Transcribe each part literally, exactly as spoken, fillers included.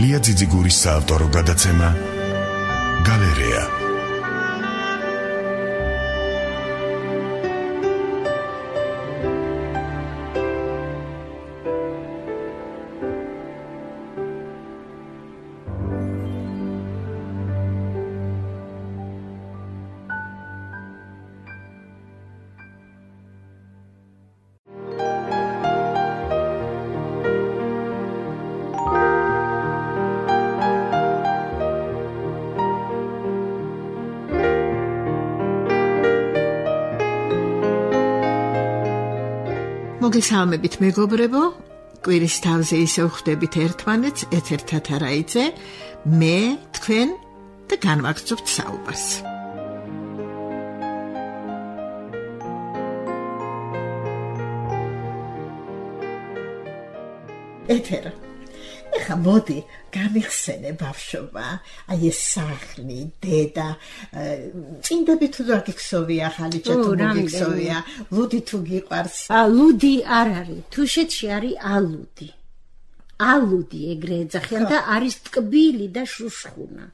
ლია ძიძიგურის საავტორო გადაცემა გალერეა. მოგესალმებით მეგობრებო, კვირის თავზე ისევ ხვდებით ერთმანეთს, ეთერთა თარაიძე, მე, თქვენ და განვაგრძობთ საუბარს. ეთერა. ეხა მოდი, გამიხსენე ბავშვობა, აი ეს სახლი, დედა, წინდები თუ გაგიქცოვია, ხალიჩა თუ მოგიქცოვია, ლუდი თუ გიყვარს? ა ლუდი არ არის, თუშეთში არის ალუდი. ალუდი ეგრე ეძახიან და არის ტკბილი და შუშხუნა.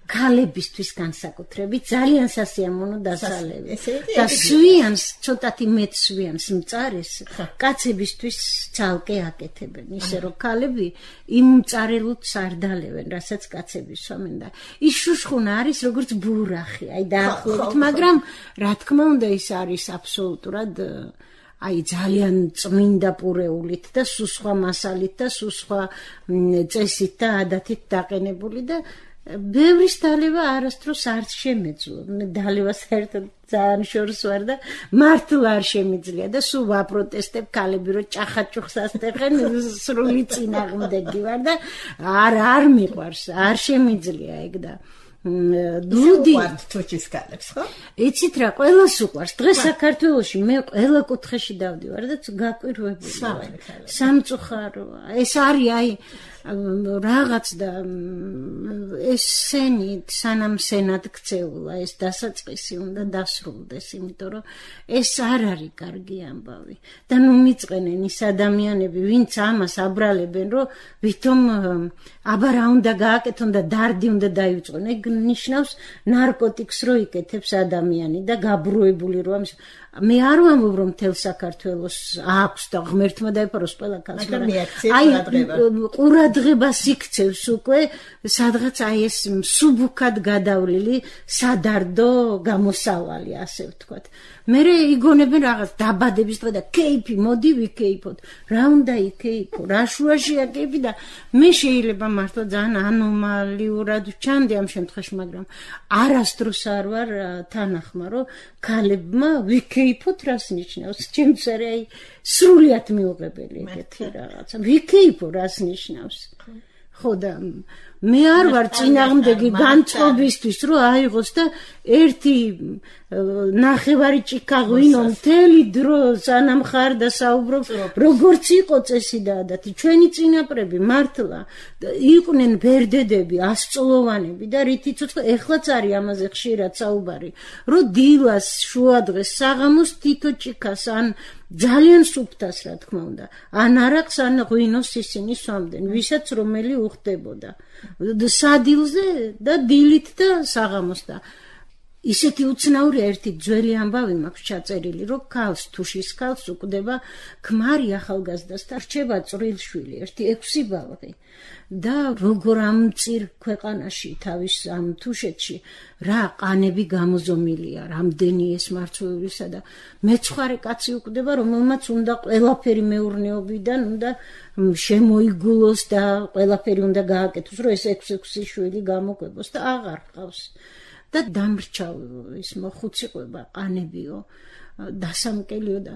ქალებისთვის განსაკუთრებით ძალიან სასიამოვნო დასალევი. და სვიანს, ცოტათი მეტ სვიანს მწარეს, კაცებისთვის ცალკე აკეთებენ, ისე რომ ქალები იმ მწარელუთს არ დალევენ, რასაც კაცები სვამენ და ის შუშხუნა არის როგორც ბურახი, აი დაახლოებით, მაგრამ რა თქმა უნდა ის არის აბსოლუტურად აი ძალიან წმინდა პურეულით და სუსხვა მასალით და სუსხვა წესით და ადათით დაყენებული და ბევრის დალევა არასდროს არ შემეძლო. დალევა საერთოდ ძალიან შორს ვარ და მართლა არ შემიძლია და სულ ვაპროტესტებ ქალები რომ ჭახაჭუხს ასტეხენ სრული წინააღმდეგი ვარ და არ არ მიყვარს, არ შემიძლია ეგ და ლუდი თუჩის ქალებს ხო? იცით რა, ყველას უყვარს. დღეს საქართველოში მე ყველა კუთხეში დავდივარ და გაკვირვებულია. სამწუხაროა. ეს არის აი რაღაც და ეს სენი სანამ სენად ქცეულა ეს დასაწყისი უნდა დასრულდეს, იმიტომ რომ ეს არ არის კარგი ამბავი. და ნუ მიწყენენ ის ადამიანები, ვინც ამას აბრალებენ, რომ ვითომ აბა რა უნდა გააკეთონ და დარდი უნდა დაივიწყონ. ეგ ნიშნავს ნარკოტიკს რო იკეთებს ადამიანი და გაბრუებული რო ამის მე არ ვამბობ რომ მთელ საქართველოს აქვს და ღმერთმა დაეფაროს ყველა კაცს, მაგრამ აი ყურადღებას იქცევს უკვე სადღაც აი ეს მსუბუქად გადავლილი სადარდო გამოსავალი, ასე ვთქვათ. მე იგონებენ რაღაც დაბადების დღე და კეიფი, მოდი ვიკეიფოთ. რა უნდა იკეიფო, რა შუაშია კეიფი და მე შეიძლება მართლა ძალიან ანომალიურად ვჩანდი ამ შემთხვევაში, მაგრამ არასდროს არ ვარ თანახმა, რომ ქალებმა ვიკეიფოთ რას ნიშნავს. ჩემს აი სრულიად მიუღებელი ეგეთი რაღაცა. ვიკეიფო რას ნიშნავს. ხო და მე არ ვარ წინააღმდეგი განწყობისთვის, რომ აიღოს და ერთი ნახევარი ჭიქაღვინო მთელი დრო სანამ ხარ და საუბრობ, როგორც იყო წესი და ადათი. ჩვენი წინაპრები მართლა იყვნენ ბერდედები, ასწლოვანები და რითიც უცხო, ეხლაც არის ამაზე ხშირად საუბარი, რომ დილას, შუადღეს, საღამოს თითო ჭიქას ან ძალიან სუფთას რა თქმა უნდა, ან არაკს, ან ღვინოს ისინი სვამდნენ, ვისაც რომელი უხდებოდა. სადილზე და დილით და საღამოს და ისეთი უცნაური ერთი ძველი ამბავი მაქვს ჩაწერილი, რომ ქალს თუშის ქალს უკვდება ქმარი ახალგაზრდას და რჩება წვრილშვილი, ერთი ექვსი ბალღი. და როგორ ამ წირ ქვეყანაში თავის ამ თუშეთში რა ყანები გამოზომილია, რამდენი ეს მარცვლეულისა და მეცხვარე კაცი უკვდება, რომელმაც უნდა ყველაფერი მეურნეობიდან უნდა შემოიგულოს და ყველაფერი უნდა გააკეთოს, რომ ეს ექვსი შვილი გამოკვებოს და აღარ ყავს. და დამრჩა ის მოხუციყება ყანებიო, დასამკელიო და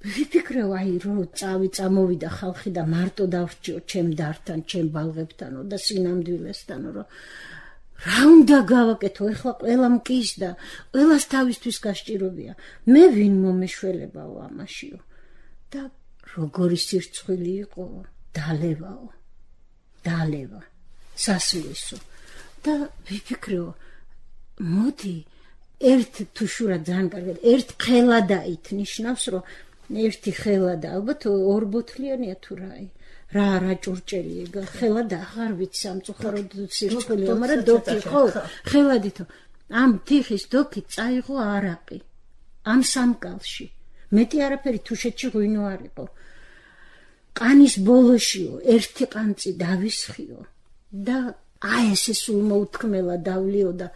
ვიფიქრე აი რომ წავი წამოვიდა ხალხი და მარტო დავრჩიო ჩემ დართან, ჩემ ბალღებთანო და სინამდვილესთანო, რომ რა უნდა გავაკეთო, ეხლა ყველა მკის და ყველას თავისთვის გასჭირობია. მე ვინ მომეშველებაო ამაშიო და როგორი სირცხვილი იყო, დალევაო, დალევა, სასვლისო. და ვიფიქრეო, მოდი ერთ თუ შურა ძალიან კარგად, ერთ ხელადაით ნიშნავს, რომ ერთი ხელადა, ალბათ ორ ბოთლიანია თუ რაი. რა რა ჭურჭელი ეგა ხელად აღარ ვიცი სამწუხაროდ სირცხვილია მაგრამ დოკი ხო ხელადითო ამ თიხის დოკი წაიღო არაყი ამ სამკალში მეტი არაფერი თუშეთში ღვინო არ იყო ყანის ბოლოშიო ერთი ყანწი დავისხიო და აი ესე სულ მოუთქმელა დავლიო და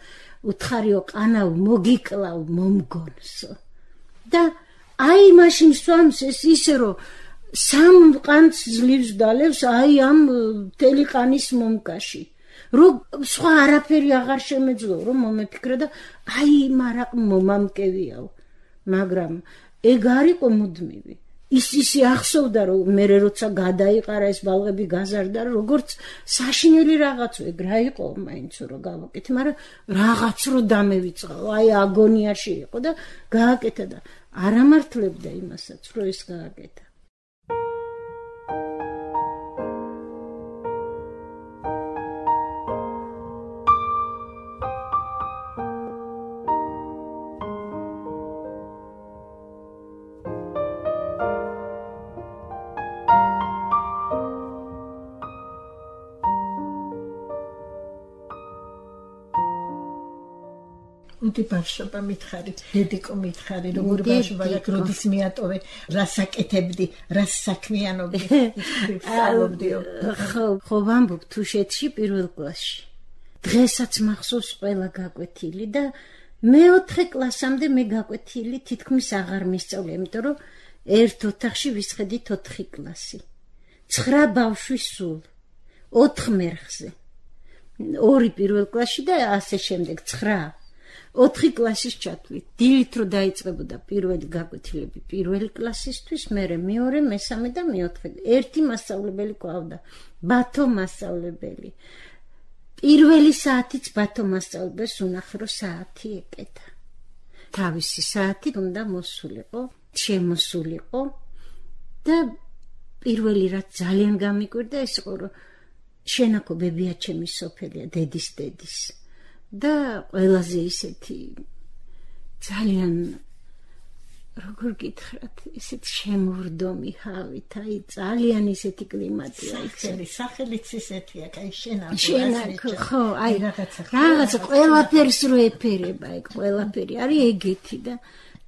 უთხარიო ყანავ მოგიკლავ მომგონსო და აი მაშინ სვამს ეს ისე რომ სამ ყანწ ძლივს დალევს აი ამ მთელი ყანის მომკაში რომ სხვა არაფერი აღარ შემეძლო რომ მომეფიქრე და აი მარაყ მომამკევიაო მაგრამ ეგ არ იყო მუდმივი ის ისე ახსოვდა რომ მე როცა გადაიყარა ეს ბალღები გაზარდა როგორც საშინელი რაღაც ეგ რა იყო მაინც რომ გავაკეთე მაგრამ რაღაც რო დამევიწყაო აი აგონიაში იყო და გააკეთა და არ ამართლებდა იმასაც რომ ეს გააკეთა უთი ბავშვობა მითხარი, დედიკო მითხარი, როგორ ბავშვობა და როდის მიატოვე, რას აკეთებდი, რას საქმიანობდი, ვსწავლობდიო. ხო, ხო ვამბობ თუშეთში პირველ კლასში. დღესაც მახსოვს ყველა გაკვეთილი და მეოთხე კლასამდე მე გაკვეთილი თითქმის აღარ მისწავლე, იმიტომ რომ ერთ ოთახში ვისხედით ოთხი კლასი. ცხრა ბავშვი სულ, ოთხ მერხზე. ორი პირველ კლასში და ასე შემდეგ ცხრა. ოთხი კლასის ჩათვლით. დილით რო დაიწყებოდა პირველი გაკვეთილები პირველი კლასისთვის, მერე მეორე, მესამე და მეოთხე. ერთი მასწავლებელი ყავდა, ბათო მასწავლებელი. პირველი საათიც ბათო მასწავლებელს უნახრო საათი ეკეთა. თავისი საათი უნდა მოსულიყო, შემოსულიყო და პირველი რაც ძალიან გამიკვირდა ეს იყო რომ შენაკო ბებია ჩემი სოფელია, დედის დედის. და ყველაზე ისეთი ძალიან როგორ გითხრათ ისეთ შემოვრდომი ჰავით აი ძალიან ისეთი კლიმატია სახელი სახელიც ისეთია აი შენაკო შენაკო ხო აი რაღაცა ყველაფერს რო ეფერება ეგ ყველაფერი არის ეგეთი და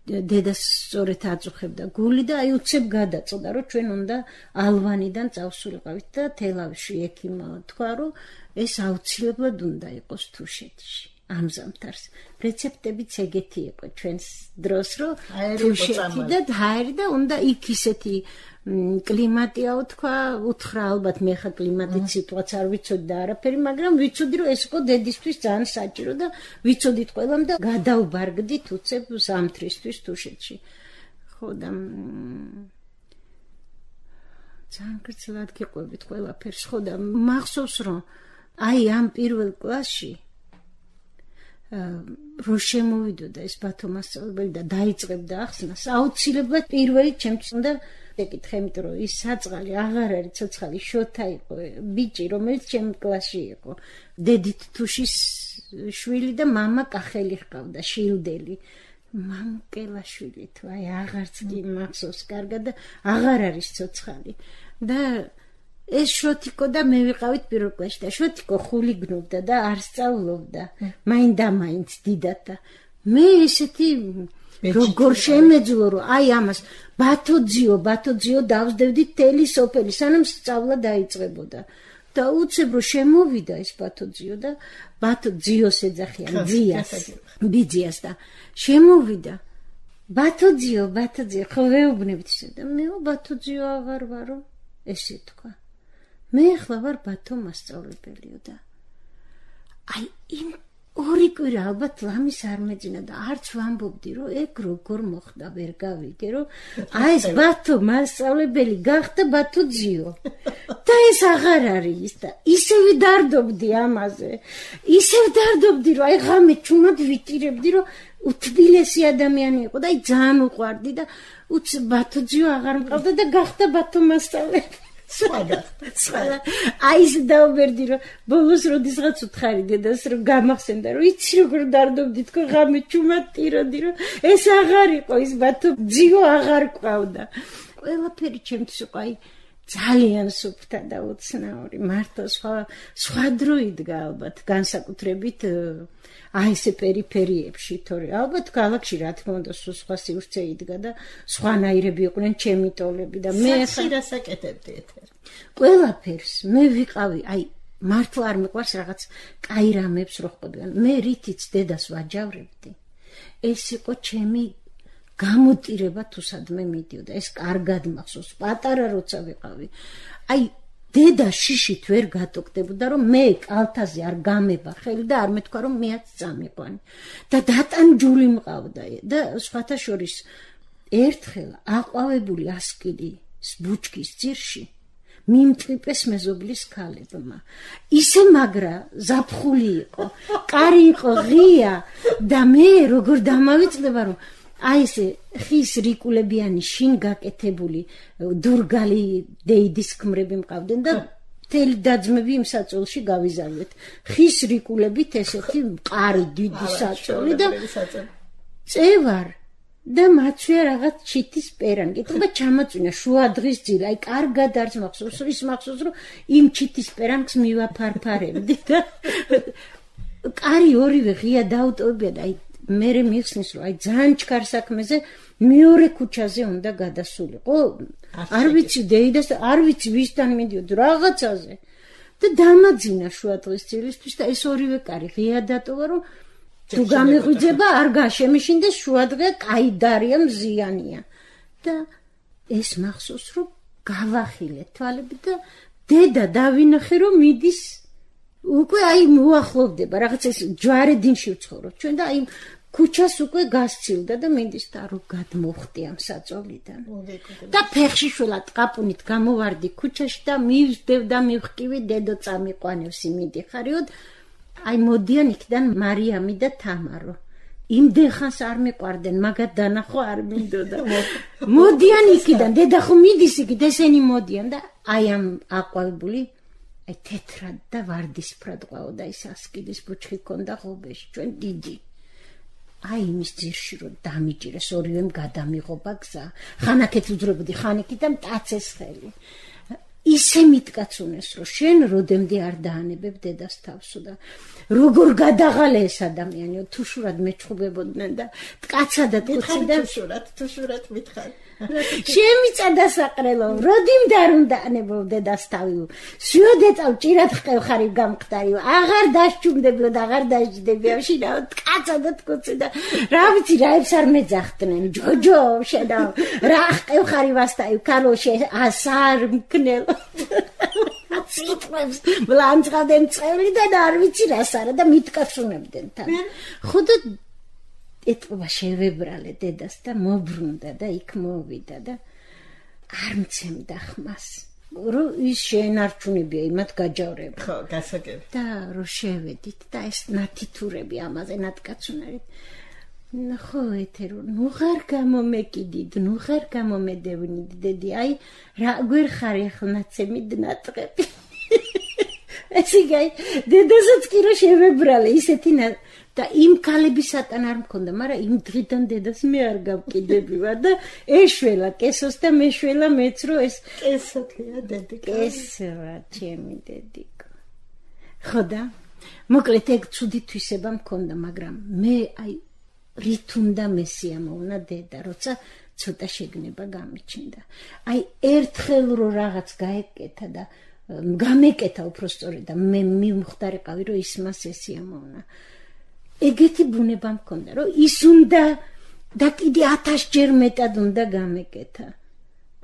დედას სწორედ აწუხებდა გული და აი უცებ გადაწოდა რომ ჩვენ უნდა ალვანიდან წავსულიყავით და თელავში ექიმმა თქვა რომ ეს აუცილებლად უნდა იყოს თუშეთში ამ ზამთარს რეცეპტებიც ეგეთი იყო ჩვენს დროს რომ თუშეთი და ჰაერი და უნდა იქ ისეთი კლიმატიაო თქვა უთხრა ალბათ მე ხა კლიმატის სიტუაცია არ ვიცოდი და არაფერი მაგრამ ვიცოდი რომ ეს იყო დედისთვის ძალიან საჭირო და ვიცოდით ყველამ და გადავბარგდით უცებ ზამთრისთვის თუშეთში ხო და ძალიან გრძელად გიყვებით ყველაფერს ხო და მახსოვს რომ აი ამ პირველ კლასში რო შემოვიდოდა ეს ბათო მასწავლებელი და დაიწყებდა ახსნას აუცილებლად პირველი ჩემთვის უნდა ეკითხე იმიტომ რომ ის საწყალი აღარ არის ცოცხალი შოთა იყო ბიჭი რომელიც ჩემ კლასში იყო დედით თუშის შვილი და მამა კახელი ჰყავდა შილდელი მამკელაშვილი თუ აი აღარც კი მახსოვს კარგად და აღარ არის ცოცხალი და ეს შოთიკო და მე ვიყავით პირველ კლასში და შოთიკო ხული გნობდა და არ სწავლობდა მაინდა-მაინც დიდად და მე ესეთი როგორ შემეძლო რომ აი ამას ბათოძიო ბათოძიო დავსდევდი თელი სოფელი სანამ სწავლა დაიწყებოდა და უცებ რომ შემოვიდა ეს ბათოძიო და ბათოძიოს ეძახიან ძიას ბიძიას და შემოვიდა ბათოძიო ბათოძიო ხო ვეუბნებით და მე ბათოძიო აღარ ვარო ესე თქვა მე ახლა ვარ ბათო მასწავლებელიო და აი იმ ორი კვირა ალბათ ლამის არ მეძინა და არც ვამბობდი რომ ეგ როგორ მოხდა ვერ გავიგე რომ აი ეს ბათო მასწავლებელი გახდა ბათოძიო და ეს აღარ არის და ისევ დარდობდი ამაზე ისევ დარდობდი რომ აი ღამე ჩუმად ვიტირებდი რომ უთბილესი ადამიანი იყო და აი ძალიან უყვარდი და უც ბათოძიო აღარ მყავდა და გახდა ბათო მასწავლებელი სვადა სვადა აი ეს დაუბერდი რომ ბოლოს როდესაც უთხარი დედას რომ გამახსენდა რომ იცი როგორ დარდობდი თქო ღამე ჩუმად ტიროდი რომ ეს აღარ იყო ის ბათო ძიო აღარ ყავდა ყველაფერი ჩემთვის იყო აი ძალიან სუფთა და უცნაური. მართლა სხვა სხვა დრო იდგა ალბათ განსაკუთრებით აი ესე პერიფერიებში, თორე ალბათ ქალაქში რა თქმა უნდა სხვა სივრცე იდგა და სხვანაირები იყვნენ ჩემი ტოლები და მე ხირას აკეთებდი ეთერ. ყველაფერს მე ვიყავი, აი მართლა არ მიყვარს რაღაც კაი რამებს რო ხდებიან. მე რითიც დედას ვაჯავრებდი. ეს იყო ჩემი გამოტირება თუ სადმე მიდიოდა. ეს კარგად მახსოვს, პატარა როცა ვიყავი. აი დედა შიშით ვერ გატოკდებოდა რომ მე კალთაზე არ გამება ხელი და არ მეთქვა რომ მეაც წამიყვანი. და დატანჯული მყავდა და სხვათა შორის ერთხელ აყვავებული ასკილი ბუჩქის ძირში მიმტვიპეს მეზობლის ქალებმა. ისე მაგრა ზაფხული იყო, კარი იყო ღია და მე როგორ დამავიწყდება რომ აი ესე ხის რიკულებიანი შინ გაკეთებული დურგალი დეიდის ქმრები მყავდნენ და მთელი დაძმები იმ საწოლში გავიზარდეთ. ხის რიკულებით ესეთი მყარი დიდი საწოლი და წევარ და მაცვია რაღაც ჩიტის პერანი. კითხება ჩამაწვინა შუა დღის ძირა. აი კარგად არც მახსოვს, ის მახსოვს რომ იმ ჩიტის პერანს მივაფარფარებდი და კარი ორივე ღია დაუტოვებია და აი მე მიხსნის რომ აი ძალიან ჩქარ საქმეზე მეორე ქუჩაზე უნდა გადასულიყო. არ ვიცი დეიდას, არ ვიცი ვისთან მიდიოდ რაღაცაზე და დამაძინა შუა დღის ძილისთვის და ეს ორივე კარი ღია დატოვა რომ თუ გამიღვიძება არ გაშემიშინდეს შუადღე კაი დარია მზიანია და ეს მახსოვს რომ გავახილე თვალები და დედა დავინახე რომ მიდის უკვე აი მოახლოვდება რაღაც ეს ჯვარედინში ვცხოვრობ ჩვენ და აი ქუჩას უკვე გასცილდა და მინდის და რომ გადმოვხდი ამ საწოლიდან და ფეხში შველა ტყაპუნით გამოვარდი ქუჩაში და მივსდევ და მივხკივი დედო წამიყვანებს იმიდიხარიოდ აი მოდიან იქიდან მარიამი და თამარო. იმდენ ხანს არ მიყვარდნენ, მაგათ დანახო არ მინდოდა. მოდიან იქიდან, დედა ხო მიდის იქით, ესენი მოდიან და აი ამ აყვავებული აი თეთრად და ვარდისფრად ყავდა ის ასკილის ბუჩქი ქონდა ღობეში, ჩვენ დიდი. აი იმის ძირში რომ დამიჭირეს ორივემ გადამიღობა გზა. ხანაკეთ ვძრებოდი ხანიკი და მტაცეს ხელი. ისე მიტკაცუნეს რომ შენ როდემდე არ დაანებებ დედას თავსო და როგორ გადაღალე ეს ადამიანიო თუ შურად მეჩხუბებოდნენ და ტკაცადად კუცი და შურად თუ შურად მითხარ შემიწადა საყრელო როდიმდე არ უნდა ანებო დედას თავი სიოდეწავ ჭირად ხევხარი გამყდარიო აღარ დაშჩუმდებო და აღარ დაждდებიო შინა ტკაცადად კუცი და რა ვიცი რაებს არ მეძახდნენ ჯოჯო შედა რა ხევხარი ვასტაი ქალოშე ასარ მკნელო ციტყვებს ბლანცღადემ წევრი და არ ვიცი რას არა და მიტკაცუნებდნენ თან ხოდა ეთყობა შევებრალე დედას და მობრუნდა და იქ მოვიდა და არ მცემდა ხმას რომ ის შეენარჩუნებია იმათ გაჯავრება ხო გასაგები და რომ შევედით და ეს ნათითურები ამაზე ნათკაცუნარით ხო ეთერო ნუ ხარ გამომეკიდით ნუ ხარ გამომედევნით დედი აი რა გვერ ხარ ახლა ნაცემით ნატყები ეს იგი დედასაც კი რომ შევებრალე ისეთი და იმ ქალების სატან არ მქონდა მაგრამ იმ დღიდან დედას მე არ გავკიდებივა და ეშველა კესოს და მეშველა მეც რომ ეს კესოთია დედი კესოა ჩემი დედიკო ხოდა მოკლედ ეგ ცუდი თვისება მქონდა მაგრამ მე აი რით უნდა მესიამოვნა დედა როცა ცოტა შეგნება გამიჩნდა აი ერთხელ რო რაღაც გაეკეთა და გამეკეთა უпростоრე და მე მივხვდარიყავი რომ ის მას ესიამოვნა ეგეთი ბუნება მქონდა რომ ის უნდა და კიდე ათასჯერ მეტად უნდა გამეკეთა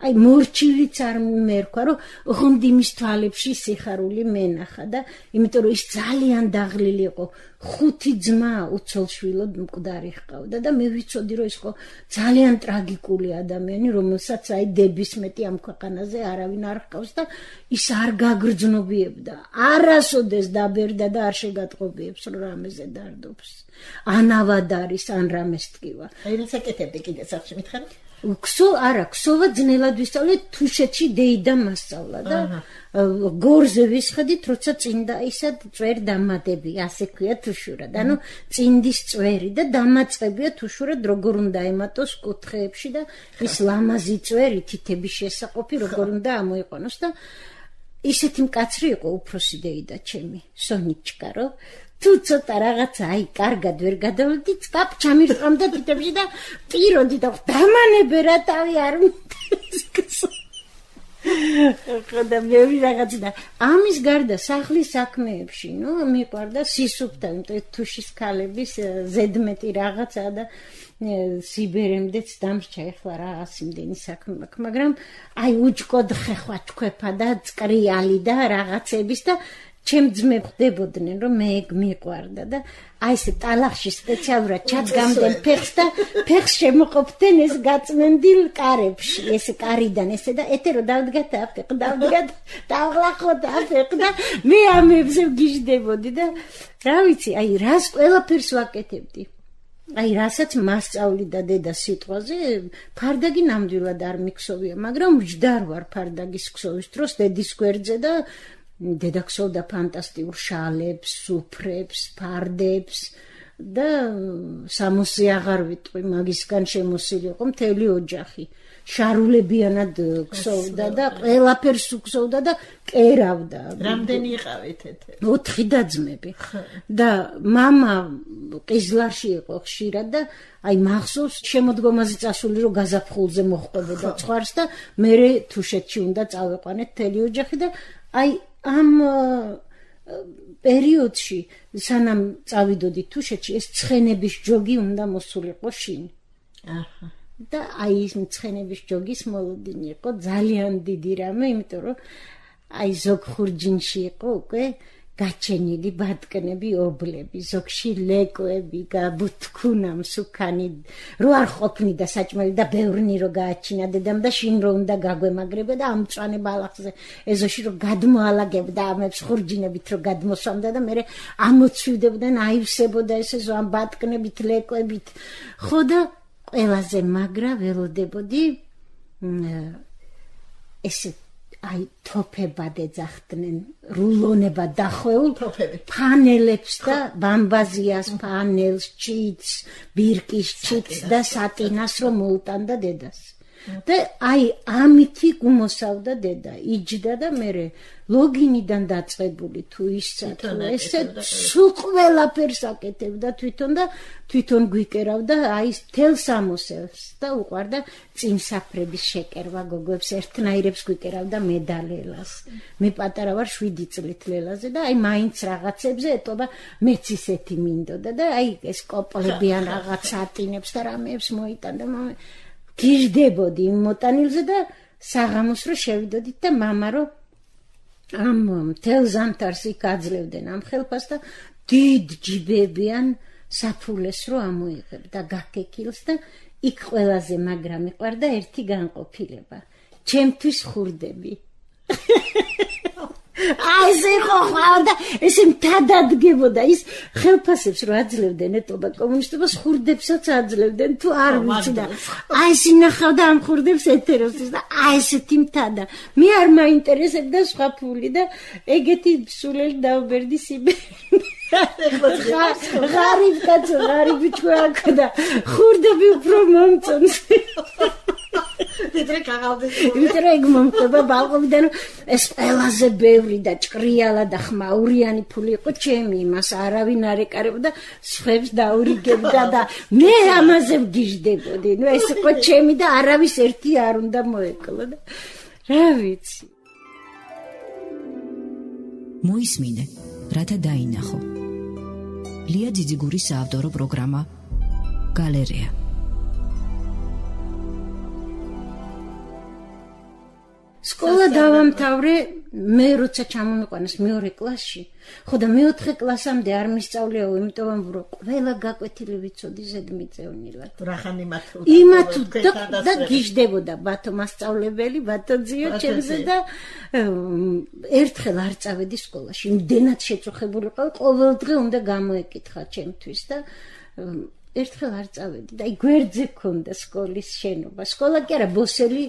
აი მორჩილიც არ მერქვა რომ ღონდიმის თვალებში სიხარული მენახა და იმიტომ რომ ის ძალიან დაღლილი იყო ხუთი ძმა უცოლშვილოდ მკვდარი ჰყავდა და მე ვიცოდი რომ ის ხო ძალიან ტრაგიკული ადამიანი რომელსაც აი დების მეტი ამ ქვეყანაზე არავინ არ ჰყავს და ის არ გაგრძნობიებდა არასოდეს დაბერდა და არ შეგატყობიებს რომ რამეზე დარდობს ან ავად არის ან რამეს ტკივა აი რას აკეთებდი კიდე სახში მითხარ ქსო არა, ქსოვა ძნელად ვისწავლე, თუშეთში დეიდა მასწავლა და გორზე ვისხედით, როცა წინდა ისად წვერ დამატები, ასე ქვია თუშურად. ანუ წინდის წვერი და დამაწყებია თუშურად როგორ უნდა ემატოს კუთხეებში და ის ლამაზი წვერი თითების შესაყოფი როგორ უნდა ამოიყვანოს და ისეთი მკაცრი იყო უფროსი დეიდა ჩემი, სონიჩკა, რომ თუ ცოტა რაღაცა აი კარგად ვერ გადავლდი, წკაპ ჩამირწმდა თითებში და პიროდი და დამანებე რა თავი არ მიტეს. ხოდა მე ვიღაცა და ამის გარდა სახლის საქმეებში, ნუ მიყვარდა სისუფთა, თუშის ქალების ზედმეტი რაღაცა და სიბერემდეც დამრჩა ეხლა რაღაც იმდენი საქმე მაქვს, მაგრამ აი უჭკოდ ხეხვა ჩქვეფა და წკრიალი და რაღაცების და ჩემ ძმე ხდებოდნენ რომ მე მიყვარდა და აი ეს ტალახში სპეციალურად ჩადგამდნენ ფეხს და ფეხს შემოყოფდნენ ეს გაწმენდილ კარებში ეს კარიდან ესე და ეთერო დავდგათ აფეხ დავდგათ დავღლახოთ აფეხ და მე ამებზე ვგიჟდებოდი და რა ვიცი აი რას ყველაფერს ვაკეთებდი აი რასაც მასწავლი და დედა სიტყვაზე ფარდაგი ნამდვილად არ მიქსოვია მაგრამ მჯდარ ვარ ფარდაგის ქსოვის დროს დედის გვერდზე და დედა ქსოვდა ფანტასტიკურ შალებს, სუფრებს, ფარდებს და სამოსი აღარ ვიტყვი, მაგისგან შემოსილი იყო მთელი ოჯახი. შარულებიანად ქსოვდა და ყველაფერს უქსოვდა და კერავდა. რამდენი იყავით ეთერი? ოთხი დაძმები. და მამა ყიზლარში იყო ხშირად და აი მახსოვს შემოდგომაზე წასული რომ გაზაფხულზე მოხვდებოდა ცხვარს და მე თუშეთში უნდა წავეყვანეთ მთელი ოჯახი და აი ამ პერიოდში სანამ წავიდოდი თუშეთში ეს ცხენების ჯოგი უნდა მოსულიყო შინ. აჰა. და აი ის ცხენების ჯოგის მოლოდინი იყო ძალიან დიდი რამე, იმიტომ რომ აი ზოგ ხურჯინში იყო უკვე გაჩენილი ბატკნები, ობლები, ზოგში ლეკვები, გაბუთქუნა მსუქანი, რო არ ყოფნიდა საჭმელი და ბევრნი რო გააჩინა დედამ და შინ რო უნდა გაგვემაგრებდა და ამ მწვანე ბალახზე ეზოში რო გადმოალაგებდა ამებს ხურჯინებით რო გადმოსვამდა და მე ამოცვივდებდნენ აივსებოდა ესე ზო ამ ბატკნებით, ლეკვებით. ხო და ყველაზე მაგრა ველოდებოდი ესე აი თოფებად ეძახდნენ რულონება დახვეულ ფანელებს და ბამბაზიას ფანელს ჩიც ბირკის ჩიც და სატინას რომ მოუტანდა დედას და აი ამითი გუმოსავდა დედა იჯდა და მე ლოგინიდან დაწყებული თუ ისცა თუ ესე სულ ყველაფერს აკეთებდა თვითონ და თვითონ გვიკერავდა აი თელ სამოსელს და უყვარდა წინსაფრების შეკერვა გოგოებს ერთნაირებს გვიკერავდა მედალელას მე პატარა ვარ შვიდი წლით ლელაზე და აი მაინც რაღაცებზე ეტობა მეც ისეთი მინდოდა და აი ეს კოპლებიან რაღაც სატინებს და რამეებს მოიტანდა გიждდებოდი იმ მოტანილზე და საღამოს რო შევიდოდით და მამა რო ამ მთელ ზამთარს იქ აძლევდნენ ამ ხელფას და დიდ ჯიბებიან საფულეს რო ამოიღებდა გაკეკილს და იქ ყველაზე მაგრა მიყვარდა ერთი განყოფილება ჩემთვის ხურდები აი ესე ხო ხავდა ესე მთადადგებოდა ის ხელფასებს რო აძლევდნენ ეტობა კომუნისტობას ხურდებსაც აძლევდნენ თუ არ ვიცი და აი ეს ინახავდა ამ ხურდებს ეთეროსის და აი ესეთი მთადა მე არ მაინტერესებდა სხვა ფული და ეგეთი სულელი დავბერდი სიბერი ღარიბ კაცო ღარიბი ჩვენკა და ხურდები უფრო მომწონს დედრე კაღალდეს ვიტრე ეგ მომხდება ბალყობიდან ეს ყველაზე ბევრი და ჭრიალა და ხმაურიანი ფული იყო ჩემი იმას არავინ არ ეკარებოდა სხვებს დაურიგებდა და მე ამაზე ვგიჟდებოდი ნუ ეს იყო ჩემი და არავის ერთი არ უნდა მოეკლო და რა ვიცი მოისმინე რათა დაინახო ლია ძიძიგურის საავტორო პროგრამა გალერეა სკოლა დავამთავრე მე როცა ჩამომიყვანეს მეორე კლასში ხო და მეოთხე კლასამდე არ მისწავლიაო იმიტომ რომ ყველა გაკვეთილი ვიცოდი ზედმიწევნილად რახან იმათ იმათ და გიждდებოდა ბათო მასწავლებელი ბათო ძიო ჩემზე და ერთხელ არ წავედი სკოლაში იმდენად შეწუხებული ყავ ყოველ დღე უნდა გამოეკითხა ჩემთვის და ერთხელ არ წავედი და აი გვერდზე ქონდა სკოლის შენობა. სკოლა კი არა, ბოსელი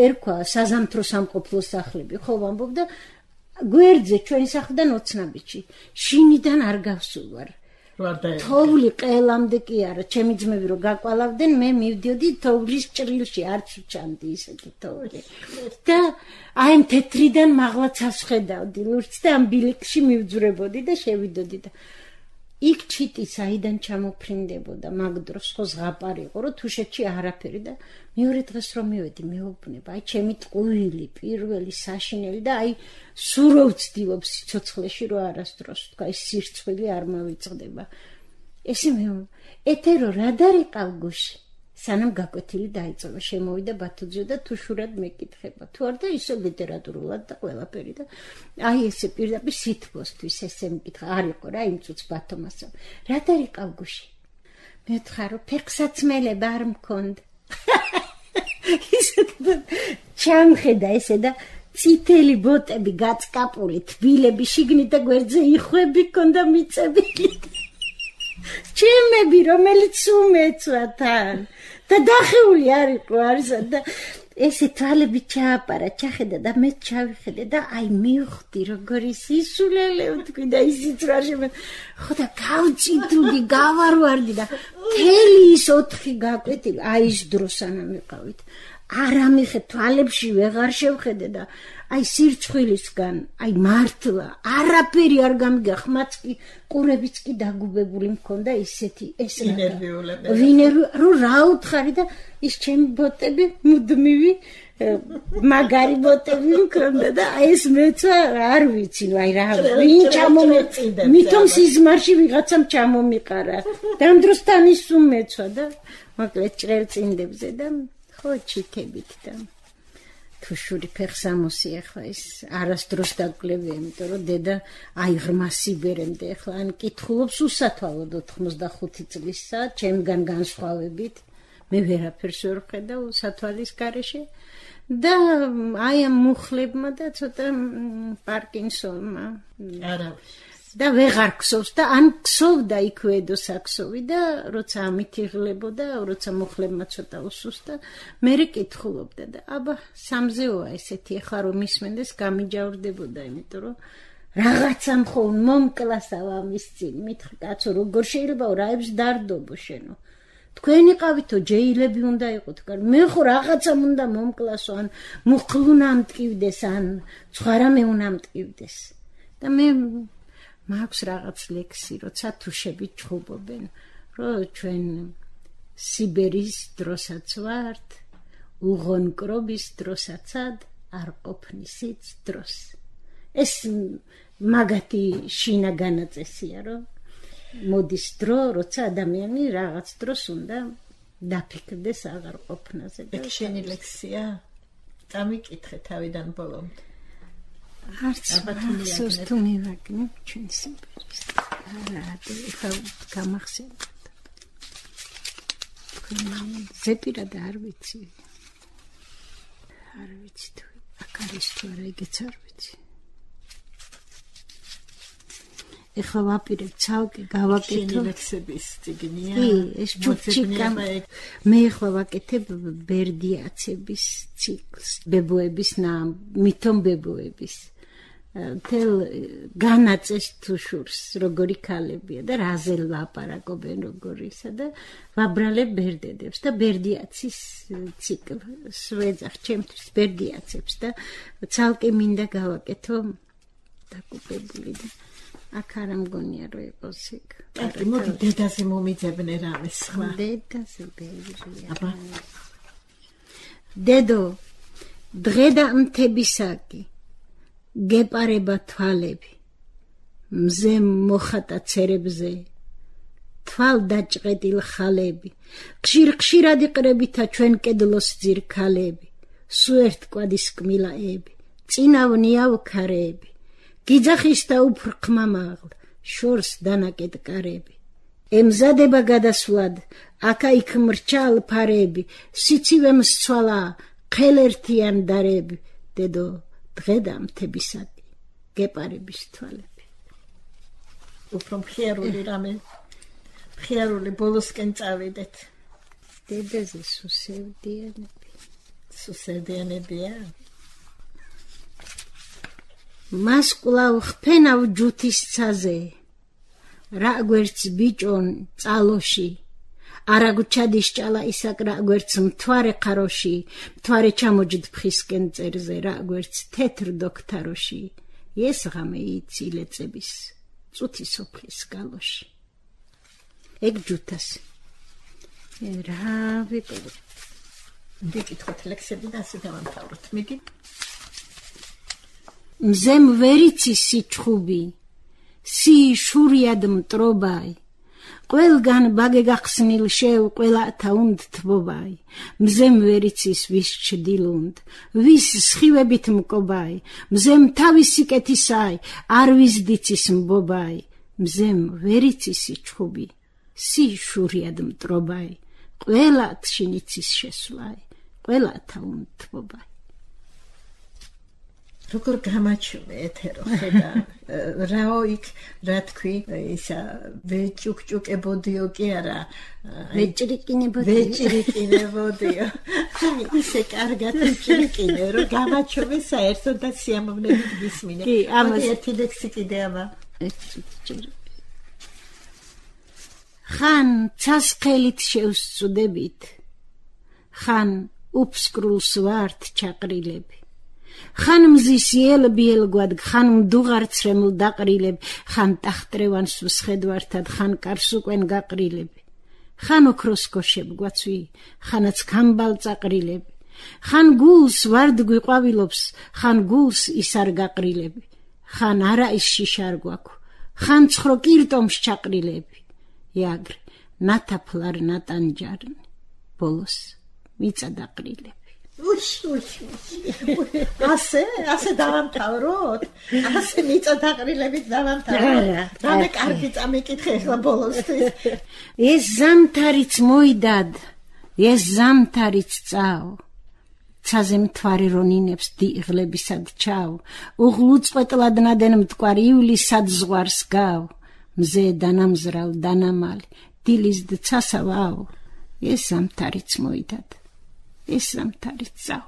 ერქვა საზამთრო სამყოფლო სახლები, ხო ვამბობდა გვერდზე ჩვენ სახლიდან ოცნაბიჯი. შინიდან არ გავსულვარ. თოვლი ყელამდე კი არა, ჩემი ძმები რო გაკვალავდნენ, მე მივდიოდი თოვლის ჭრილში, არც ვჩანდი ისეთი თოვლი. და აი ამ თეთრიდან მაღლაცას ხედავდი ლურჯს და ამ ბილიკში მივძვრებოდი და შევიდოდი და იქ ჩიტი საიდან ჩამოფრინდებოდა მაგ დროს ხო ზღაპარი იყო რომ თუშეთში არაფერი და მეორე დღეს რომ მივედი მეუბნება აი ჩემი ტყუილი პირველი საშინელი და აი სულ რო ვცდილობ სიცოცხლეში რომ არასდროს თქვა ეს სირცხვილი არ მოვიწყდება ესე მე ეთერო რა დარიყავ გუში სანამ გაკვეთილი დაიწყო შემოვიდა ბათუძე და თუშურად მეკითხება თუ არ და ისო ლიტერატურულად და ყველაფერი და აი ესე პირდაპირ სითბოსთვის ესე მეკითხა არ იყო რა იმ წუთს ბათომასო რა დარიყავ გუში მეთქა რომ ფეხსაცმელება არ მქონდა ისე ჩამხედა ესე და წითელი ბოტები გაწკაპული თბილები შიგნით და გვერდზე იხვები ქონდა მიწებილი ჩემები რომელიც უმეცვა თან და დახეული არ იყო არისა და ესე თვალები ჩააპარა ჩახედა და მე ჩავიხედე და აი მივხვდი როგორი სისულელე ვთქვი და ისიც რა შემე ხო და გავწიდული გავარვარდი და თელი ის ოთხი გაკვეთილი აი ის დრო სანამ ვიყავით არ ამიხე თვალებში ვეღარ შევხედე და აი სირცხვილისგან აი მართლა არაფერი არ გამიგა ხმაც კი ყურებიც კი დაგუბებული მქონდა ისეთი ეს ინერვიულები ვინერვი რო რა უთხარი და ის ჩემი ბოტები მუდმივი მაგარი ბოტები მქონდა და ეს მეცა არ ვიცი აი რა ვინ ჩამომეწინდა მithom სიზმარში ვიღაცამ ჩამომიყარა და ამ დროს თან ის უმეცვა და მოკლედ ჭრელწინდებზე და ხო ჩიქებით და თუშური ფეხსამოსი ახლა ის არასდროს დაგკლებია, იმიტომ რომ დედა აი ღრმა სიბერემდე ახლა ან კითხულობს უსათვალოდ ოთხმოცდახუთი წლისა, ჩემგან განსხვავებით, მე ვერაფერს ვერ ვხედავ უსათვალის გარეშე და აი ამ მუხლებმა და ცოტა პარკინსონმა არა და ვეღარ ქსოვს და ან ქსოვდა იქვე ედოსაქსოვი და როცა ამით იღლებოდა, როცა მუხლებმა ცოტა უსუსტა, მერე კითხულობდა და აბა სამზეოა ესეთი ახლა რომ ისმენდეს გამიჯავრდებოდა, იმიტომ რომ რაღაცამ ხო მომკლასავა ამის წინ, მითხრა კაცო როგორ შეიძლება რაებს დარდობო შენო. თქვენი ყავითო ჯეილები უნდა იყოთ, მე ხო რაღაცამ უნდა მომკლასო, ან მუხლუნა მტკივდეს, ან სხვა რამე უნდა მტკივდეს. და მე მაქვს რაღაც ლექსი, როცა თუშები ჩხუბობენ, რომ ჩვენ სიბერის დროსაც ვართ, უღონკრობის დროსაცად არ ყოფნისიც დროს. ეს მაგათი შინა განაწესია, რომ მოდის დრო, როცა ადამიანი რაღაც დროს უნდა დაფიქრდეს აღარ ყოფნაზე. ეგ შენი ლექსია? წამიკითხე თავიდან ბოლომდე. არც ახსოვს თუ მივაგნე ჩვენ სიმღერის არა ეხლა გამახსენდა ზეპირა და არ ვიცი არ ვიცი თუ აქ არის თუ არა ეგეც არ ვიცი ეხლა ვაპირებ ცალკე გავაკეთო ლექსების წიგნია კი ეს ჩუჩიკა მე ეხლა ვაკეთებ ბერდიაცების ციკლს ბებოების ნამ მithom ბებოების თელ განაწეს თუშურს როგორი ქალებია და რაზე ლაპარაკობენ როგორისა და ვაბრალებ ბერდედებს და ბერდიაცის ციკლს ვეძახ ჩემთვის ბერდიაცებს და ცალკე მინდა გავაკეთო დაკუპებული და აქ არ მგონია რომ იყოს იქ აი მოდი დედაზე მომიძებნე რამე სხვა დედაზე ბერია აბა დედო დღე და მთებისაკი გეპარება თვალები მზე მოხატა ცერებზე თვალ დაჭყეტილ ხალები ხშირ ხშირად იყრებითა ჩვენ კედლოს ძირქალები სუერთ კვადის კმილაები წინავნია უქარები გიძახის და უფრხმა მაღლ შორს დანაკეთ კარები ემზადება გადასვლად აკაიქ მრჩალ ფარები სიცივემ სწვალა ხელერთიან დარები დედო დღე და მთებისაკი გეპარების თვალები უფრო მხიარული რამე ხიარული ბოლოსკენ წავიდეთ. დედაზე სუსევდიანები. სუსევდიანებია. მას კვლავ ხფენავ ჯუთის ცაზე. რა გვერდს ბიჭონ წალოში. არაგუჩადის ჭალა ისაკ რა გვერდს მთვარე ხაროში. მთვარე ჩამოჯდ ფხისკენ წერზე რა გვერდს თეთრ დოქთაროში. ეს ღამე იცილეწების წუთი სოფლის გალოში. ეგ ჯუთას. რა ვიყო. ვიკითხოთ ლექსები და ასე დავამთავროთ. მიდი. მზემ ვერიცი სიჩხუბი. სი შურიად მტრობაი. ყველგან ბაგე გახსნილ შეw ყველათა უნდა თბობაი. მზემ ვერიცის ვის ჩდილუნდ. ვის სხივებით მკობაი. მზემ თავისი კეთისაი. არ ვის დიცის მბობაი. მზემ ვერიცის სიჩხუბი. სი შურიად მტრობაი. ყველათ შინიცის შესვლაი. ყველათა უნდა თბობაი. როგორ გამაჩვენე ეთერო ხედა რაო იქ რა თქვი ისა ვეჭუკჭუკებოდიო კი არა ვეჭრიკინებოდიო ვეჭრიკინებოდიო ისე კარგად ვეჭრიკინე რომ გამაჩვენე საერთოდ და სიამოვნებით გისმინე კი ამას ერთი ლექსი კიდე აბა ხან ცასხელით შევსწუდებით ხან უფსკრულს ვართ ჩაყრილები ხან მზის ელბიელგვად ხან მდუღარცრემლ დაყრილებ ხან ტახტრევანს ვსხედვართად ხან კარს უკენ გაყრილები ხან ოქროსკოშებ გვაცვი ხანაც ქამბალ წაყრილები ხან გულს ვარდ გვიყვავილობს ხან გულს ის არ გაყრილები ხან არა ის შიშარ გვაქვს ხან ცხვრო კირტომს ჩაყრილები იაგრ ნათაფლარ ნატანჯარნი ბოლოს მიწა დაყრილები უში უში ასე ასე დავამთავროთ ასე მიწა დაყრილებით დავამთავროთ რამე კარგი წამიკითხე ახლა ბოლოსთვის ეს ზამთარიც მოიდად ეს ზამთარიც წაო ცაზე მთვარე რონინებს დიღლებისად ჩაო უღლუწყვეტლად ნადენ მტკვარ ივლისად ზღვარს გაო მზე დანამზრალ დანამალი დილისდ ცასავაო ეს ზამთარიც მოიდად ეს ზამთარიც წაო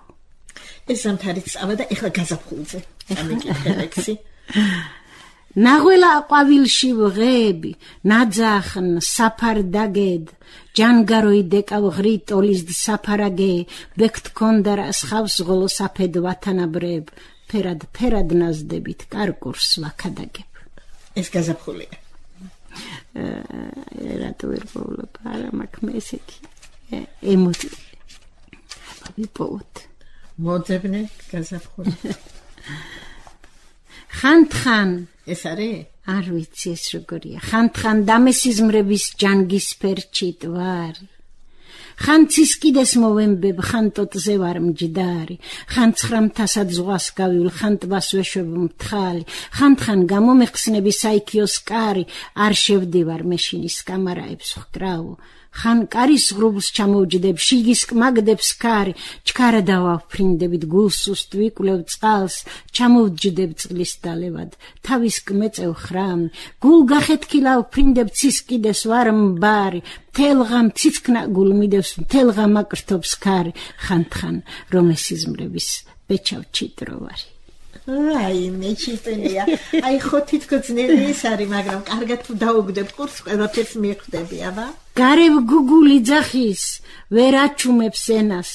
ეს ზამთარიც წავა და ეხლა გაზაფხულზე ამიკითხე ლექსი ნაღველა ყვავილში ვღები ნაძახნ საფარ დაგედ ჯანგაროი დეკავ ღრი ტოლისდ საფარაგე ბექთ კონდარა სხავს ღოლო საფედ ვათანაბრებ ფერად ფერად ნაზდებით კარკურს ვაქადაგებ ეს გაზაფხულია რატო ვერ პოვლობ არა მაქვს მესეთი ემოცი ვიპოვოთ მოძებნე გაზაფხული ხანთხან ეს არის არ ვიცი ეს როგორია ხანთხან დამესიზმრების ჯანგის ფერჩით ვარი ხან ცისკიდეს მოვემბებ ხან ტოტზე ვარ მჯდარი ხან ცხრამთასად ზღვას გავივლ ხან ტბას ვეშვებ მთხალი ხანთხან გამომეხსნები საიქიოს კარი არ შევდივარ მეშინის კამარაებს ვკრავო ხან კარის ღრუბლს ჩამოვჯდებ შიგის კმაგდებს კარი ჩქარა დავაფრინდებით გულს უსტ ვიკვლევ წყალს ჩამოვჯდებ წყლის დალევად თავის კმეწევ ხრამი გულ გახეთქილავ ფრინდებ ცისკიდეს ვარ მბარი თელღამ ციცკნა გულ მიდევს თელღამ აკრთობს კარი ხანთხან რომ ესიზმრების ბეჩავ ჩიტროვარი აი მე ჩიტენია აი ხო თითქოს ძნელი ის არის მაგრამ კარგად თუ დაუგდებ ყურს ყველაფერს მიხვდები აბა გარევ გუგული ძახის ვერ აჩუმებს ენას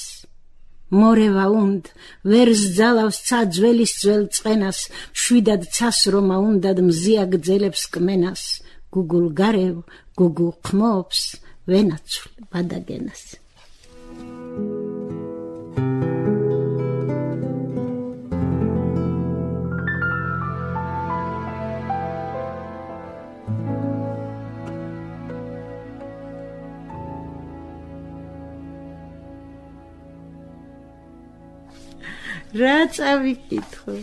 მორევა უნდა ვერ ზძალავს ცა ძველის ძველ წყენას შვიდად ცას რომა უნდად მზია გძელებს კმენას გუგულ გარევ გუგულ ყმობს ვენაცვლ ბადაგენას რა წავიკითხო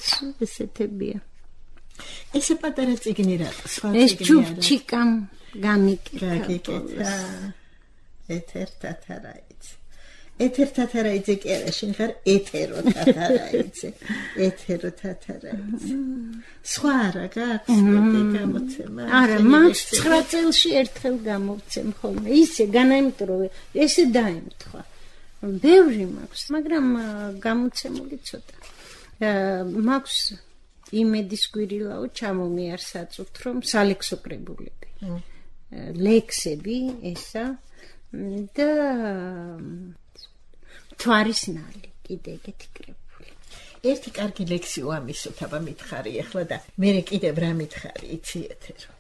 სულ ესეთებია ესე პატარა წიგნი რა სხვა წიგნი ეს ჩუბჩიკამ გამიკითხა გაგიკეთა ეთერთათ არა იცი ეთერ თათარაიძე კი არა, შენ ხარ ეთერო თათარაიძე. ეთერო თათარაიძე. სხვა რა გაქვს მეტი გამოცემა? არა, მაქვს ცხრა წელში ერთხელ გამოვცემ ხოლმე. ისე განა, იმიტომ რომ ესე დაემთხვა. ბევრი მაქვს, მაგრამ გამოცემული ცოტა. მაქვს იმედის გვირილაო ჩამომიარსაწუთ, რომ სალექსო კრებულები. ლექსები ესა და თვარისნალი კიდე ეგეთი კრებული. ერთი კარგი ლექსი უამისოთ, აბა მითხარი ახლა და მე კიდევ რა მითხარი, იცი ეთერო.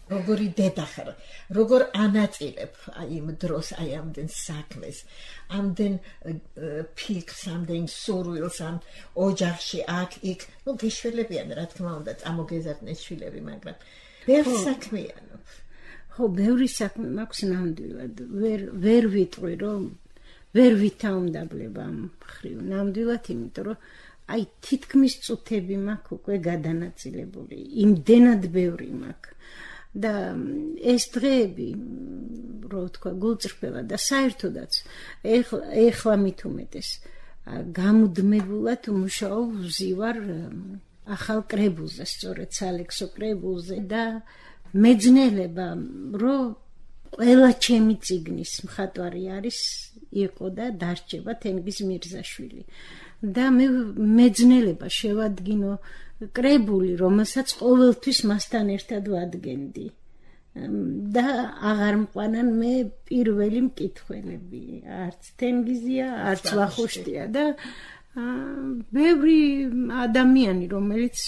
როგორი დედა ხარ, როგორ ანაწილებ აი იმ დროს, აი ამდენ საქმეს, ამდენ ფილკს, ამდენ სურვილს, ამ ოჯახში, აქ, იქ, ნუ გეშველებიან, რა თქმა უნდა, წამოგეზარდნეს შვილები, მაგრამ ბევრი საქმიანობ. ხო, ბევრი საქმე მაქვს ნამდვილად, ვერ ვერ ვიტყვი, რომ ვერ ვითაუნდაბლებ ამ მხრივ, ნამდვილად, იმიტომ რომ აი თითქმის წუთები მაქვს უკვე გადანაწილებული, იმდენად ბევრი მაქვს. და ეს დღეები, რო თქვა, გულწრფელა და საერთოდაც ეხლა მით უმეტეს გამუდმებულად მუშაობ ვზივარ ახალ კრებულზე, სწორედ სალექსო კრებულზე და მეძნელება, რომ ყველა ჩემი წიგნის მხატვარი არის, იყო და დარჩება თენგიზ მირზაშვილი. და მე მეძნელება შევადგინო კრებული, რომელსაც ყოველთვის მასთან ერთად ვადგენდი. და აღარ მყვანან მე პირველი მკითხველები, არც თენგიზია, არც ვახუშტია და ბევრი ადამიანი, რომელიც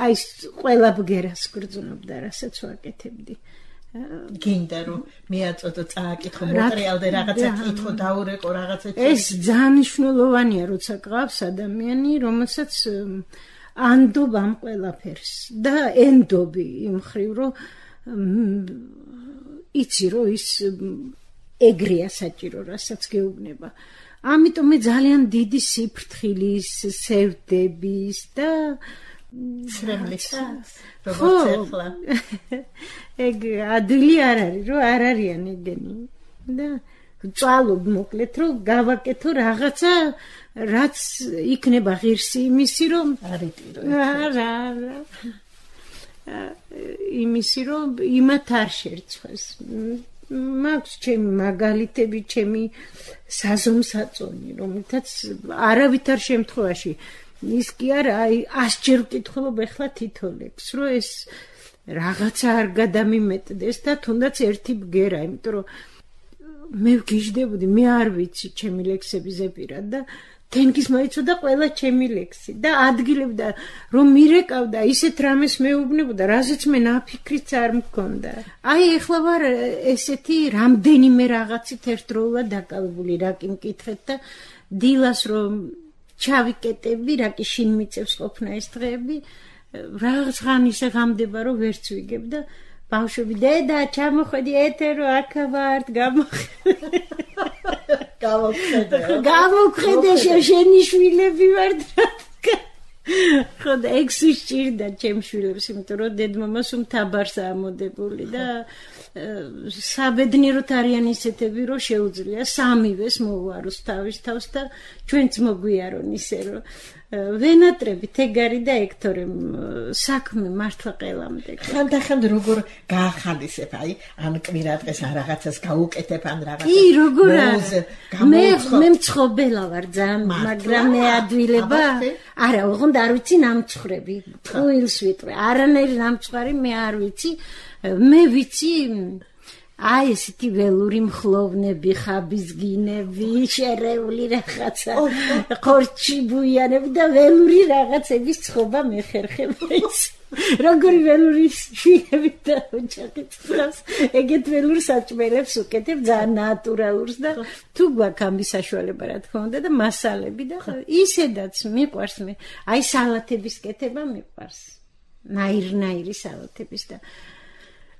აი ყველა ბგერას გრძნობდა, რასაც ვაკეთებდი. გინდა რომ მეაწოდო წააკითხო, მოტრიალდე რაღაცა კითხო, დაურეკო რაღაცა. ეს ძალიან მნიშვნელოვანია, როცა გყავს ადამიანი, რომელსაც ანდობ ამ ყველაფერს და ენდობი იმ მხრივ, რომ იცი რომ ის ეგრეა საჭირო, რასაც გეუბნება. ამიტომ მე ძალიან დიდი სიფრთხილის, სევდების და ცრემლის როგორც ახლა. ეგ ადვილი არ არის, რომ არ არიან ეგენი. და წვალობ მოკლედ, რომ გავაკეთო რაღაცა, რაც იქნება ღირსი იმისი, რომ არიტირო. არა, არა. იმისი, რომ იმათ არ შერცხვეს. მაქვს ჩემი მაგალითები, ჩემი საზომსაწონი, რომელთაც არავითარ შემთხვევაში ის კი არა, აი ასჯერ ვკითხულობ ახლა თითო ლექსს, რომ ეს რაღაცა არ გადამიმეტდეს და თუნდაც ერთი ბგერა, იმიტომ რომ მე ვგიჟდებოდი, მე არ ვიცი ჩემი ლექსები ზეპირად და თენგიზ მოიცოდა ყველა ჩემი ლექსი და ადგილებდა რომ მირეკავდა ისეთ რამეს მეუბნებოდა, რაზეც მე ნაფიქრიც არ მქონდა. აი ახლა ვარ ესეთი რამდენიმე რაღაცით ერთდროულად დაკავებული, რა კი მკითხეთ და დილას რომ ჩავიკეტები, რა კი შინ მიწევს ყოფნა ეს დღეები, რაღაც ხანი ისე ღამდება, რომ ვერც ვიგებ და ბავშვები, დედა, ჩამოხედი ეთერო, აქ ვართ, გამოხედე. გამოვხედე. გამოვხედე, შენი შვილები ვართ. ხო და ეგ სჭირდა ჩემ შვილებს, იმიტომ რომ დედმამას უმთაბარს ამოდებული და საბედნიეროდ არიან ისეთები, რომ შეუძლია სამივეს მოუაროს თავის თავს და ჩვენც მოგვიარონ ისე, რომ ვენატრებით ეგარი და ექტორემ საქმე მართლა ყელამდე. ხანდახან როგორ გაახალისებ, აი, ან კვირა დღეს ან რაღაცას გაუკეთებ, ან რაღაცას. კი, როგორ არა. მე მე მცხოველა ვარ ძალიან, მაგრამ მე ადვილება. არა, ოღონდ არ ვიცი ნამცხრები. ტყუილს ვიტყვი. არანაირი ნამცხვარი მე არ ვიცი. მე ვიცი აი ესეთი ველური მხლოვნები, ხაბიზგინები, შერეული რაღაცა, ხორჩი ბუიანები და ველური რაღაცების ცხობა მეხერხება ის. როგორი ველური შვილები და ოჯახით ფლავს, ეგეთ ველურ საჭმელებს უკეთებ, ძალიან ნატურალურს და თუ გვაქვს ამის საშუალება, რა თქმა უნდა და მასალები და ისედაც მიყვარს მე. აი სალათების კეთება მიყვარს. ნაირ-ნაირი სალათების და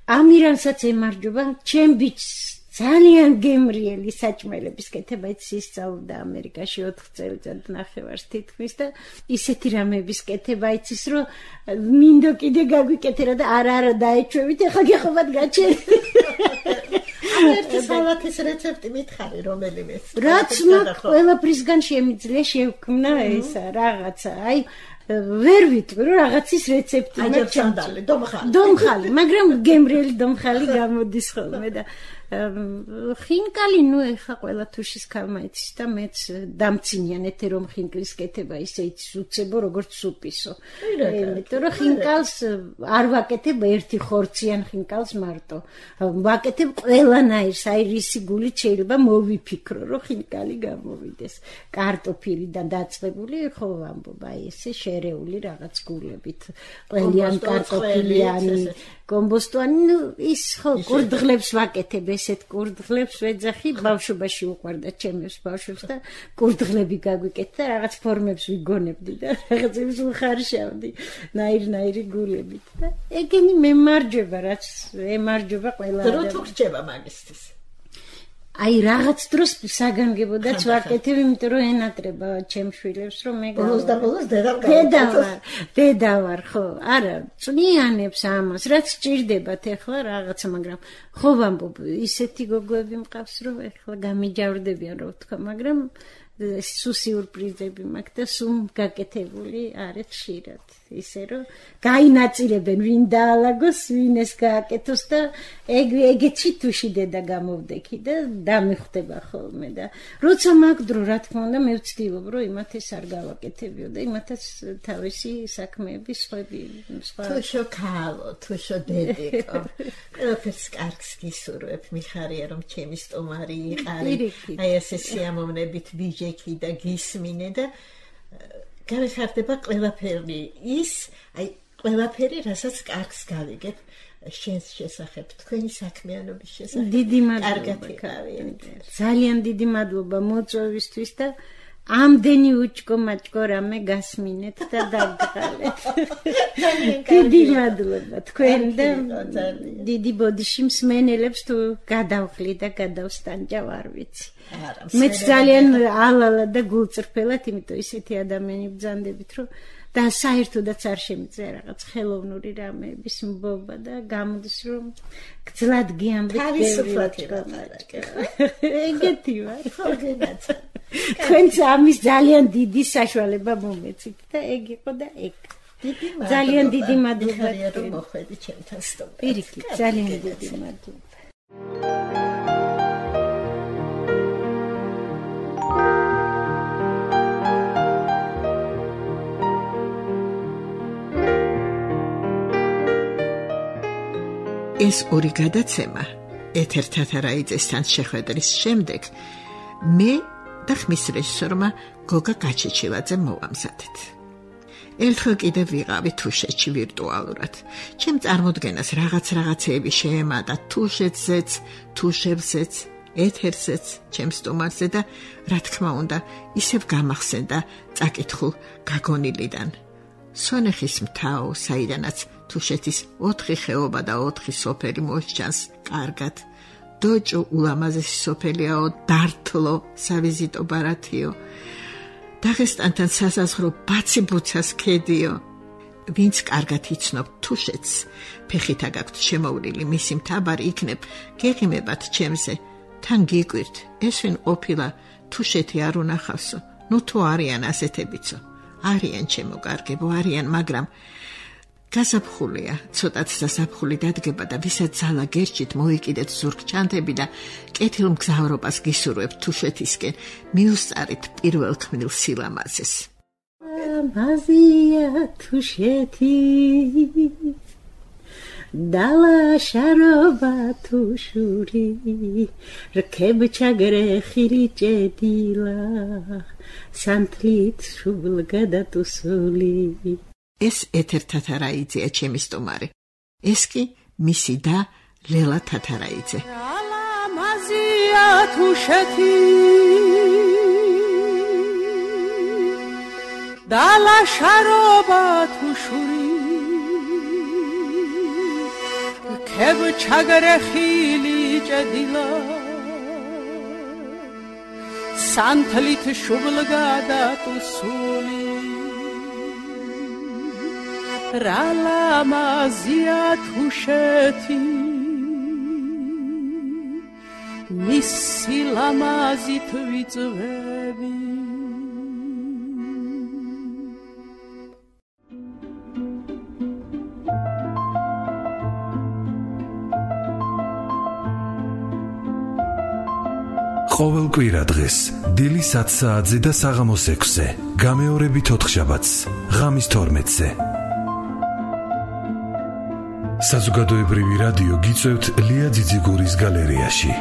ამირანსაც ემარჯობა, ჩემ ბიჭს ძალიან გემრიელი საჭმელების კეთება ისწავლდა ამერიკაში ოთხ წელიწად ნახევარს თითქმის და ისეთი რამების კეთება იცის, რომ მინდო კიდე გაგვიკეთერა და არა არა დაეჩვევით, ახლა გეხობათ გაჩერდი. ერთი სალათის რეცეპტი მითხარი რომელიმე. რაც ყველაფრისგან შემიძლია შევქმნა ესა რაღაცა. აი ვერ ვიტყვი რომ რაღაცის რეცეპტი მაქვს. დომხალი. დომხალი, მაგრამ გემრიელი დომხალი გამოდის ხოლმე და ხინკალი ნუ ეხა ყველა თუშის ქალმაიცის და მეც დამცინიან ეთე რომ ხინკლის კეთება ისე იცის უცებო როგორც სუპისო. იმიტომ რომ ხინკალს არ ვაკეთებ ერთი ხორციან ხინკალს მარტო. ვაკეთებ ყველანაირს, აი რისი გულით შეიძლება მოვიფიქრო რომ ხინკალი გამოვიდეს. კარტოფილი და დაწყებული ხო ვამბობ აი ესე შერეული რაღაც გულებით. ყველიან კარტოფილიანი, კომბოსტოვანი, ნუ ის ხო კურდღლებს ვაკეთებ ესეთ კურდღლებს ვეძახი, ბავშვობაში უყვარდა ჩემს ბავშვებს და კურდღლები გაგვიკეთდა, რაღაც ფორმებს ვიგონებდი და რაღაცებს ვხარშავდი, ნაირ-ნაირი გულებით და ეგენი მემარჯვება, რაც ემარჯვება ყველა ადამიანი. დრო თუ რჩება მაგისტრის. აი რაღაც დროს საგანგებოდაც ვაკეთებ, იმიტომ რომ ენატრება ჩემს შვილებს რომ მე ბოლოს და ბოლოს დედა დედა ვარ, დედა ვარ, ხო, არა, წვნიანებს ამას, რაც ჭირდებათ ეხლა რაღაცა, მაგრამ ხო ვამბობ, ისეთი გოგოები მყავს, რომ ეხლა გამიჯავრდებიან, რო ვთქვა, მაგრამ სულ სიურპრიზები მაქვს და სულ გაკეთებული არის ხშირად. ისე რომ გაინაწილებენ ვინ დაალაგოს, ვინ ეს გააკეთოს და ეგ ეგეცი თუში დედა გამოვდექი და დამიხვდება ხოლმე და როცა მაგ დრო რა თქმა უნდა მე ვცდილობ რომ იმათ ეს არ გავაკეთებიო და იმათაც თავისი საქმეები სხვები სხვა თუშო ქალო, თუშო დედიკო ყველაფერს კარგს გისურვებ, მიხარია რომ ჩემი სტომარი იყარი, აი ესე სიამოვნებით ვიჟექი და გისმინე და გავიხარდება ყველაფერი ის, აი ყველაფერი, რასაც კარგს გავიგებ შენს შესახებ, თქვენი საქმიანობის შესახებ. დიდი მადლობა. ძალიან დიდი მადლობა მოწვევისთვის და ამდენი უჭკო-მაჭკო რამე გასმინეთ და დაგღალეთ. დიდი მადლობა თქვენ და დიდი ბოდიში მსმენელებს თუ გადავხლი და გადავსტანჯავ არ ვიცი. მეც ძალიან ალალა და გულწრფელად, იმიტომ ისეთი ადამიანი ბრძანდებით, რომ და საერთოდაც არ შემიძლია რაღაც ხელოვნური რამეების მბობა და გამოდის რომ გძლად გიამბეთ თავისუფლად ეგეთი ვარ. თქვენც ამის ძალიან დიდი საშუალება მომეცით და ეგ იყო და ეგ. ძალიან დიდი მადლობა რომ მოხვედი ჩემთან სტუმრად. პირიქით, ძალიან დიდი მადლობა. ეს ორი გადაცემა ეთერ თათარაიძესთან შეხვედრის შემდეგ მე და ხმის რეჟისორმა გოგა გაჩეჩილაძემ მოვამზადეთ. ერთხელ კიდევ ვიყავი თუშეთში ვირტუალურად. ჩემ წარმოდგენას რაღაც რაღაცეები შეემატა თუშეთზეც, თუშებზეც, ეთერზეც, ჩემ სტუმარზე და რა თქმა უნდა, ისევ გამახსენდა წაკითხულ გაგონილიდან. სონეხის მთაო, საიდანაც თუშეთის ოთხი ხეობა და ოთხი სოფელი მოსჩანს კარგად. დოჭო ულამაზესი სოფელიაო, დართლო სავიზიტო ბარათიო. დაღესტანთან სასაზღვრო ბაციბუცას ქედიო. ვინც კარგად იცნობ თუშეთს, ფეხითა გაქვთ შემოვლილი მისი მთავარი იქნებ, გეღიმებათ ჩემზე. თან გიკვირთ, ეს ვინ ყოფილა თუშეთი არ უნახავსო, ნუ თუ არიან ასეთებიცო. არიან ჩემო კარგებო, არიან, მაგრამ გასაფხულია, ცოტაც სასაფხული დადგება და ვისაც ძალა გერჩით მოიკიდეთ ზურგჩანთები და კეთილ მგზავრობას გისურვებთ თუშეთისკენ, მიუსწარით პირველ ქმნილ სილამაზეს. მაზია თუშეთი დალაშარობა თუშური რქებჩაგრე ხილიჭედილა სანთლით შუბლ გადატუსული. ეს ეთერ თათარაიძეა ჩემი სტუმარი. ეს კი მისი და ლელა თათარაიძე. მაზია თუშეთი დალაშარობა თუშური რქებჩაგრე ხილიჭედილა სანთლით შუბლ გადატუსული. რალამაზია თუშეთი მისი ლამაზით ვიწვევი ყოველ კვირა დღეს დილის ათ საათზე და საღამოს ექვსზე გამეორებით ოთხშაბათს ღამის თორმეტზე საზოგადოებრივი რადიო გიწევთ ლია ძიძიგურის გალერეაში.